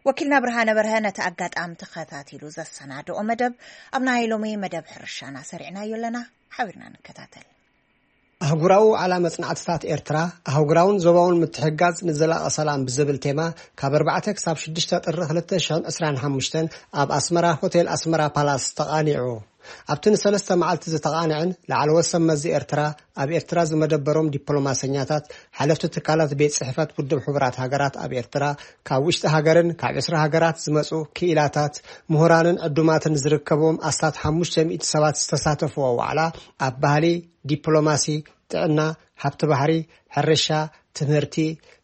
ወኪልና ብርሃነ በርሀ ነቲ ኣጋጣሚ ተኸታቲሉ ዘሰናድኦ መደብ ኣብ ናይ ሎሚ መደብ ሕርሻና ሰሪዕናዮ ኣለና። ሓቢርና ንከታተል። ኣህጉራዊ ዋዕላ መጽናዕትታት ኤርትራ፣ ኣህጉራውን ዞባውን ምትሕግጋዝ ንዘላቒ ሰላም ብዝብል ቴማ፣ ካብ ኣርባዕተ ክሳብ ሽዱሽተ ጥሪ ክልተ ሽሕን ዕስራን ሓሙሽተን ኣብ ኣስመራ ሆቴል ኣስመራ ፓላስ ተቓኒዑ። ኣብቲ ንሰለስተ መዓልቲ ዝተቓንዐን ላዕለዎት ሰብ መዚ ኤርትራ ኣብ ኤርትራ ዝመደበሮም ዲፕሎማሰኛታት፣ ሓለፍቲ ትካላት ቤት ጽሕፈት ውድብ ሕቡራት ሃገራት ኣብ ኤርትራ፣ ካብ ውሽጢ ሃገርን ካብ ዕስራ ሃገራት ዝመጹ ክኢላታት፣ ምሁራንን ዕዱማትን ዝርከብዎም ኣስታት ሓሙሽተ ሚእቲ ሰባት ዝተሳተፍዎ ዋዕላ፣ ኣብ ባህሊ፣ ዲፕሎማሲ፣ ጥዕና፣ ሃብቲ ባሕሪ፣ ሕርሻ፣ ትምህርቲ፣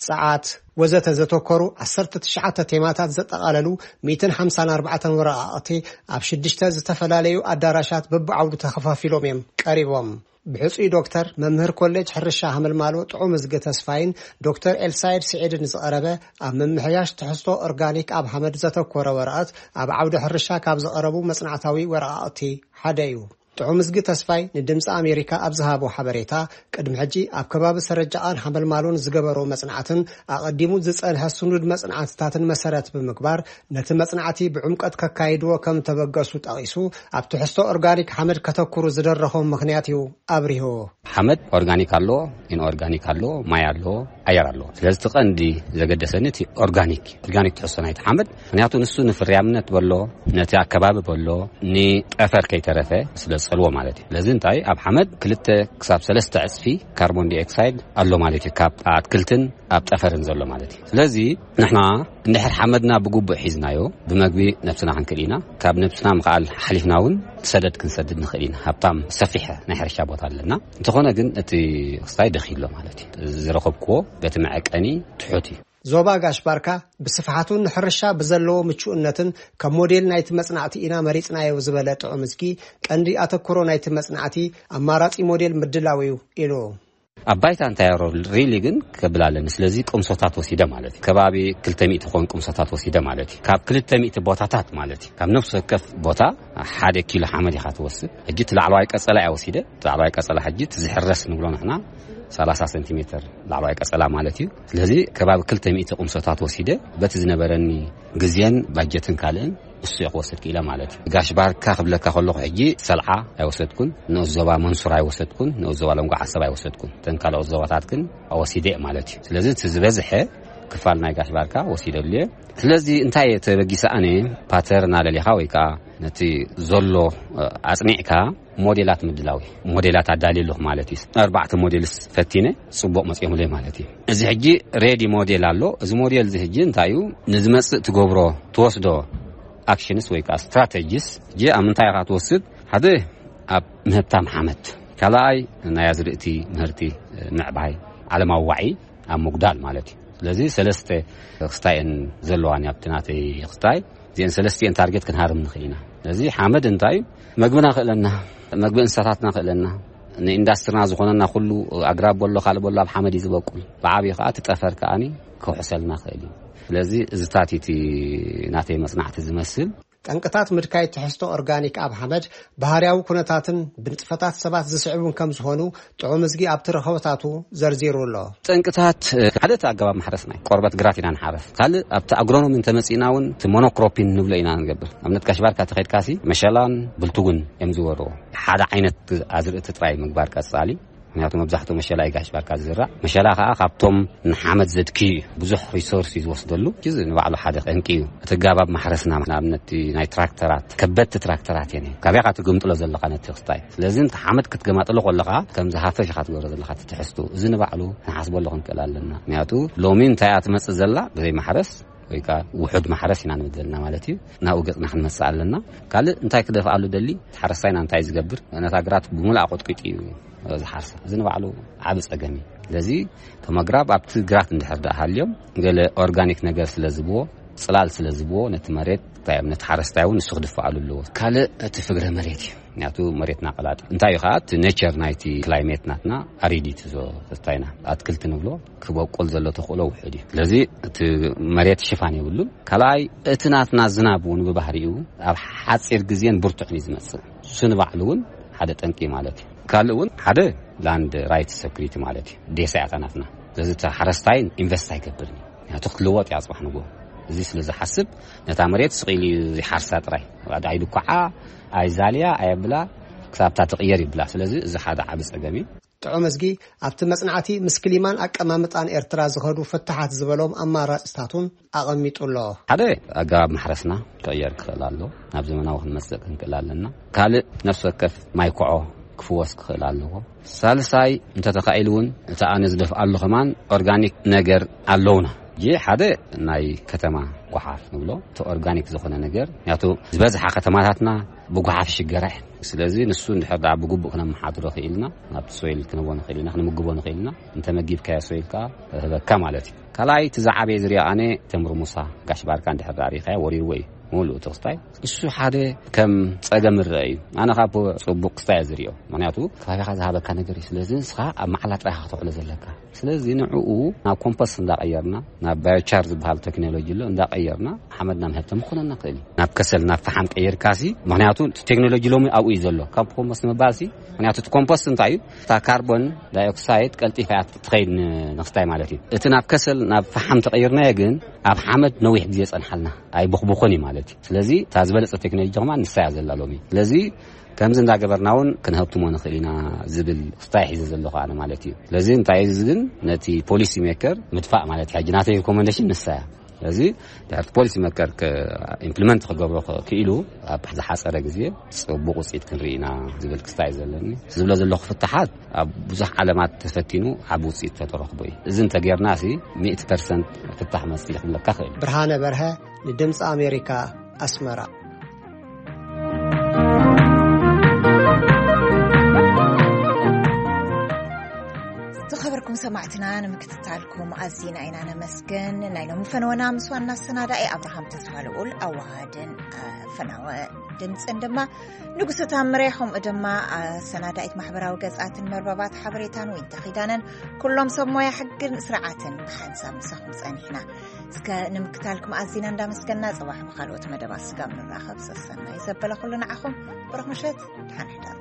ጸዓት፣ ወዘተ ዘተኮሩ ዓሰርተ ትሽዓተ ቴማታት ዘጠቓለሉ ሚእትን ሓምሳን ኣርባዕተን ወረቓቕቲ ኣብ ሽዱሽተ ዝተፈላለዩ ኣዳራሻት በብዓውዱ ተኸፋፊሎም እዮም ቀሪቦም። ብሕጹይ ዶክተር፣ መምህር ኮሌጅ ሕርሻ ሃመልማሎ ጥዑም እዝጊ ተስፋይን ዶክተር ኤልሳይድ ስዒድን ዝቐረበ ኣብ ምምሕያሽ ትሕዝቶ ኦርጋኒክ ኣብ ሓመድ ዘተኮረ ወረቐት ኣብ ዓውዲ ሕርሻ ካብ ዝቐረቡ መጽናዕታዊ ወረቓቕቲ ሓደ እዩ። ጥዑም እዝጊ ተስፋይ ንድምፂ ኣሜሪካ ኣብ ዝሃቦ ሓበሬታ፣ ቅድሚ ሕጂ ኣብ ከባቢ ሰረጃቓን ሓመልማሎን ዝገበሮ መጽናዕትን ኣቐዲሙ ዝጸንሐ ስኑድ መጽናዕትታትን መሰረት ብምግባር፣ ነቲ መጽናዕቲ ብዕምቀት ከካይድዎ ከም ተበገሱ ጠቒሱ፣ ኣብ ትሕዝቶ ኦርጋኒክ ሓመድ ከተኩሩ ዝደረኾም ምኽንያት እዩ ኣብሪሁ። ሓመድ ኦርጋኒክ ኣሎ፣ ኢንኦርጋኒክ ኣሎ፣ ማይ ኣሎ፣ ኣየር ኣሎ። ስለዚ እቲ ቀንዲ ዘገደሰኒ እቲ ኦርጋኒክ፣ ኦርጋኒክ ትሕዝቶ ናይቲ ሓመድ፣ ምኽንያቱ ንሱ ንፍርያምነት በሎ፣ ነቲ ኣከባቢ በሎ፣ ንጠፈር ከይተረፈ ስለ ዝጸልዎ ማለት እዩ። ስለዚ እንታይ ኣብ ሓመድ ክልተ ክሳብ ሰለስተ ዕጽፊ ካርቦን ዲኦክሳይድ ኣሎ ማለት እዩ፣ ካብ ኣትክልትን ኣብ ጠፈርን ዘሎ ማለት እዩ። ስለዚ ንሕና እንድሕር ሓመድና ብግቡእ ሒዝናዮ፣ ብመግቢ ነብስና ክንክእል ኢና። ካብ ነብስና ምኽኣል ሓሊፍና እውን ሰደድ ክንሰድድ ንኽእል ኢና። ሃብታም ሰፊሕ ናይ ሕርሻ ቦታ ኣለና። እንተኾነ ግን እቲ ክስታይ ደኺ ኣሎ ማለት እዩ። ዝረኸብክዎ በቲ መዐቀኒ ትሑት እዩ። ዞባ ጋሽ ባርካ ብስፍሓቱን ንሕርሻ ብዘለዎ ምቹእነትን ከም ሞዴል ናይቲ መጽናዕቲ ኢና መሪጽናዮ ዝበለ ጥዑም እዝጊ፣ ቀንዲ ኣተኩሮ ናይቲ መጽናዕቲ ኣማራጺ ሞዴል ምድላው እዩ ኢሉ። ኣብ ባይታ እንታይ ሪሊ ግን ከብል ኣለኒ። ስለዚ ቅምሶታት ወሲደ ማለት እዩ። ከባቢ ክልተ ሚእቲ ክኾን ቅምሶታት ወሲደ ማለት እዩ። ካብ ክልተ ሚእቲ ቦታታት ማለት እዩ። ካብ ነፍሲ ወከፍ ቦታ ሓደ ኪሎ ሓመድ ኢኻ ትወስድ። ሕጂ እቲ ላዕለዋይ ቀጸላ እያ ወሲደ። እቲ ላዕለዋይ ቀጸላ ሕጂ እቲ ዝሕረስ ንብሎ ንሕና ሰላሳ ሰንቲሜተር ላዕለዋይ ቀጸላ ማለት እዩ። ስለዚ ከባቢ ክልተ ሚእቲ ቅምሶታት ወሲደ። በቲ ዝነበረኒ ግዜን ባጀትን ካልእን እሱ እየ ክወስድ ክኢለ ማለት እዩ። ጋሽ ባርካ ክብለካ ከለኹ ሕጂ ሰልዓ ኣይወሰድኩን፣ ንኡስ ዞባ መንሱር ኣይወሰድኩን፣ ንኡስ ዞባ ለንጎ ዓሰብ ኣይወሰድኩን። እተን ካልኦት ዞባታት ግን ወሲደ ማለት እዩ። ስለዚ እቲ ዝበዝሐ ክፋል ናይ ጋሽ ባርካ ወሲደሉ እየ። ስለዚ እንታይ እየ ተበጊሰ ኣነ፣ ፓተርን ኣለሊኻ ወይ ከዓ ነቲ ዘሎ ኣጽኒዕካ ሞዴላት ምድላው እዩ። ሞዴላት ኣዳልየ ኣለኹ ማለት እዩ። ኣርባዕተ ሞዴልስ ፈቲነ ጽቡቕ መጺኦምለይ ማለት እዩ። እዚ ሕጂ ሬዲ ሞዴል ኣሎ። እዚ ሞዴል እዚ ሕጂ እንታይ እዩ ንዝመጽእ ትገብሮ፣ ትወስዶ ኣክሽንስ ወይ ከዓ ስትራተጂስ ሕጂ ኣብ ምንታይ ኢኻ ትወስድ? ሓደ ኣብ ምህብታም ሓመድ፣ ካልኣይ ናይ ኣዝርእቲ ምህርቲ ምዕባይ፣ ዓለማዊ ዋዒ ኣብ ምጉዳል ማለት እዩ። ስለዚ ሰለስተ ክስታየን ዘለዋን ኣብቲ ናተይ ክስታይ እዚአን ሰለስቲአን ታርጌት ክንሃርም ንኽእል ኢና። ስለዚ ሓመድ እንታይ እዩ? መግብና ክእለና፣ መግቢ እንስሳታትና ክእለና፣ ንኢንዳስትሪና ዝኾነና ኩሉ ኣግራብ በሎ ካልእ በሎ ኣብ ሓመድ እዩ ዝበቁል። ብዓብዩ ከዓ እቲ ጠፈር ከዓኒ ክውሕሰልና ክእል እዩ። ስለዚ እዚታት እቲ ናተይ መጽናዕቲ ዝመስል። ጠንቅታት ምድካይ ትሕዝቶ ኦርጋኒክ ኣብ ሓመድ ባህርያዊ ኩነታትን ብንጥፈታት ሰባት ዝስዕቡን ከም ዝኾኑ ጥዑም እዝጊ ኣብቲ ረኸቦታቱ ዘርዚሩ ኣሎ። ጠንቅታት ሓደ እቲ ኣገባብ ማሕረስና እዩ። ቆርበት ግራት ኢና ንሓረስ። ካልእ ኣብቲ ኣግሮኖሚ እንተመጺእና እውን እቲ ሞኖክሮፒን ንብሎ ኢና ንገብር። ኣብነት ጋሽ ባርካ ተኸድካሲ መሸላን ብልትጉን እዮም ዝወርዎ። ሓደ ዓይነት ኣዝርእቲ ጥራይ ምግባር ቀጻሊ። ምክንያቱ መብዛሕትኡ መሸላ እዩ ጋሽ ባርካ ዝዝራእ። መሸላ ከዓ ካብቶም ንሓመድ ዘድክዩ እዩ። ብዙሕ ሪሶርስ እዩ ዝወስደሉ። እዚ ንባዕሉ ሓደ ጠንቂ እዩ። እቲ ኣገባብ ማሕረስና ንኣብነት ናይ ትራክተራት፣ ከበድቲ ትራክተራት እየን። ካበይ ኢኻ ትግምጥሎ ዘለኻ ነቲ ክስታይ? ስለዚ ነቲ ሓመድ ክትገማጥሎ ከለኻ ከምዚ ሃፈሽ ኢኻ ትገብሮ ዘለኻ እቲ ትሕዝቱ። እዚ ንባዕሉ ክንሓስበሉ ክንክእል ኣለና። ምክንያቱ ሎሚ እንታይ እያ ትመጽእ ዘላ ብዘይ ማሕረስ ወይ ከዓ ውሑድ ማሕረስ ኢና ንብል ዘለና ማለት እዩ። ናብኡ ገጽና ክንመጽእ ኣለና። ካልእ እንታይ ክደፍኣሉ ደሊ፣ እቲ ሓረስታይና እንታይ ዝገብር፣ ነታ ግራት ብምልኣ ቆጥቂጡ እዩ ዝሓርሳ። እዚ ንባዕሉ ዓቢ ጸገም እዩ። ስለዚ እቶም ኣግራብ ኣብቲ ግራት እንድሕር ደኣ ሃልዮም ገለ ኦርጋኒክ ነገር ስለ ዝብዎ፣ ጽላል ስለ ዝብዎ ነቲ መሬት እንታይ እዮም፣ ነቲ ሓረስታይ እውን ንሱ ክድፍኣሉ ኣለዎ። ካልእ እቲ ፍግረ መሬት እዩ። ምክንያቱ መሬትና ቀላጢ እንታይ እዩ ከዓ እቲ ኔቸር ናይቲ ክላይሜት ናትና ኣሪዲት ዞ ተስታይና ኣትክልቲ ንብሎ ክበቁል ዘሎ ተኽእሎ ውሑድ እዩ። ስለዚ እቲ መሬት ሽፋን የብሉን። ካልኣይ እቲ ናትና ዝናብ እውን ብባህሪኡ ኣብ ሓፂር ግዜን ብርቱዕን እዩ ዝመፅእ። እሱ ንባዕሉ እውን ሓደ ጠንቂ ማለት እዩ። ካልእ እውን ሓደ ላንድ ራይት ሰኩሪቲ ማለት እዩ። ዴሳ እያ እታ ናትና። ስለዚ እቲ ሓረስታይ ኢንቨስት ኣይገብርን እዩ። ምክንያቱ ክትልወጥ እያ ፅባሕ ንግሆ። እዚ ስለ ዝሓስብ ነታ መሬት ስቕ ኢሉ እዩ ዝሓርሳ ጥራይ። ኣይድኩዓ፣ ኣይዛልያ፣ ኣየብላ፣ ክሳብ እታ ትቕየር ይብላ። ስለዚ እዚ ሓደ ዓቢ ጸገም እዩ። ጥዑም እዝጊ ኣብቲ መጽናዕቲ ምስ ክሊማን ኣቀማምጣን ኤርትራ ዝኸዱ ፍታሓት ዝበሎም ኣማራጽታቱን ኣቐሚጡ ኣሎ። ሓደ ኣገባብ ማሕረስና ክቕየር ክኽእል ኣሎ። ናብ ዘመናዊ ክንመጽእ ክንክእል ኣለና። ካልእ ነፍሲ ወከፍ ማይ ኮዖ ክፍወስ ክኽእል ኣለዎ። ሳልሳይ እንተተኻኢሉ እውን እቲ ኣነ ዝደፍኣሉ ከማን ኦርጋኒክ ነገር ኣለውና። ይህ ሓደ ናይ ከተማ ጓሓፍ ንብሎ፣ እቲ ኦርጋኒክ ዝኾነ ነገር። ምክንያቱ ዝበዝሓ ከተማታትና ብጓሓፍ ይሽገራ እየን። ስለዚ ንሱ እንድሕር ደኣ ብግቡእ ክነመሓድሮ ክኢልና፣ ናብቲ ሶይል ክንህቦ ንኽእል ኢና፣ ክንምግቦ ንኽእል ኢና። እንተመጊብካዮ ሶይል ከኣ ክህበካ ማለት እዩ። ካልኣይ እቲ ዝዓበየ ዝሪኦ ኣነ ተምሪ ሙሳ ጋሽ ባርካ እንድሕር ደኣ ሪኢኻዮ ወሪርዎ እዩ። ሙሉእ እቲ ክስታይ እሱ ሓደ ከም ጸገም ይረአ እዩ። ኣነ ካብ ጽቡቕ ክስታይ እየ ዝሪኦ። ምኽንያቱ ከባቢኻ ዝሃበካ ነገር እዩ። ስለዚ ንስኻ ኣብ መዓላ ጥራይ ኢኻ ከተውዕሎ ዘለካ። ስለዚ ንዕኡ ናብ ኮምፖስት እንዳቐየርና፣ ናብ ባዮቻር ዝበሃል ቴክኖሎጂ ኣሎ እንዳቐየርና፣ ሓመድና ምህብቶም ክኾነና ክእል እዩ። ናብ ከሰል፣ ናብ ፈሓም ቀይርካሲ፣ ምኽንያቱ እቲ ቴክኖሎጂ ሎሚ ኣብኡ እዩ ዘሎ። ካብ ኮምፖስት ምባልሲ፣ ምኽንያቱ እቲ ኮምፖስት እንታይ እዩ? እታ ካርቦን ዳይኦክሳይድ ቀልጢፋ እያ ትኸይድ ን-፣ ንክስታይ ማለት እዩ። እቲ ናብ ከሰል፣ ናብ ፈሓም ተቐይርናዮ ግን፣ ኣብ ሓመድ ነዊሕ ግዜ ጸንሓልና፣ ኣይቦኽቦኾን እዩ ማለት እዩ። ስለዚ እታ ዝበለጸ ቴክኖሎጂ ድማ ንሳ እያ ዘላ ሎሚ። ስለዚ ከምዚ እንዳገበርና እውን ክንሀብትሞ ንኽእል ኢና ዝብል ክስታይ ሒዘ ዘለኹ ኣነ ማለት እዩ። ስለዚ እንታይ እዩ እዚ ግን ነቲ ፖሊሲ ሜከር ምድፋእ ማለት እዩ። ሕጂ ናተይ ሪኮመንዴሽን ንሳ እያ። ስለዚ ድሕርቲ ፖሊሲ ሜከር ከ-፣ ኢምፕሊመንት ክገብሮ ከ-፣ ክኢሉ ኣብ ዝሓጸረ ግዜ ጽቡቕ ውጽኢት ክንርኢ ኢና ዝብል ክስታይ እዩ ዘለኒ። ዝብሎ ዘለኹ ፍታሓት ኣብ ብዙሕ ዓለማት ተፈቲኑ ዓቢ ውጽኢት ተተረኽቦ እዩ። እዚ እንተጌርና ሲ ሚእቲ ፐርሰንት ፍታሕ መጽእ ክብለካ ክእል። ብርሃነ በርሀ ንድምፂ ኣሜሪካ ኣስመራ። ዝኸበርኩም ሰማዕትና ንምክትታልኩም ኣዚና ኢና ነመስግን። ናይ ሎሚ ፈነወና ምስ ዋና ኣሰናዳኢ ኣብርሃም ተስፋ ልኡል ኣወሃድን ፈናወ ድምፅን ድማ ንጉሰ ታምረ፣ ከምኡ ድማ ኣሰናዳኢት ማሕበራዊ ገጻትን መርበባት ሓበሬታን ወይንተ ኪዳነን፣ ኩሎም ሰብ ሞያ ሕግን ስርዓትን ብሓንሳብ ምሳኹም ጸኒሕና። እስከ ንምክታልኩም ኣዚና እንዳመስገና፣ ጽባሕ ብኻልኦት መደባት ስጋብ ንራኸብ ሰሰናይ ዘበለ ኩሉ ንዓኹም። ብሩኽ ምሸት፣ ደሓን ሕደሩ።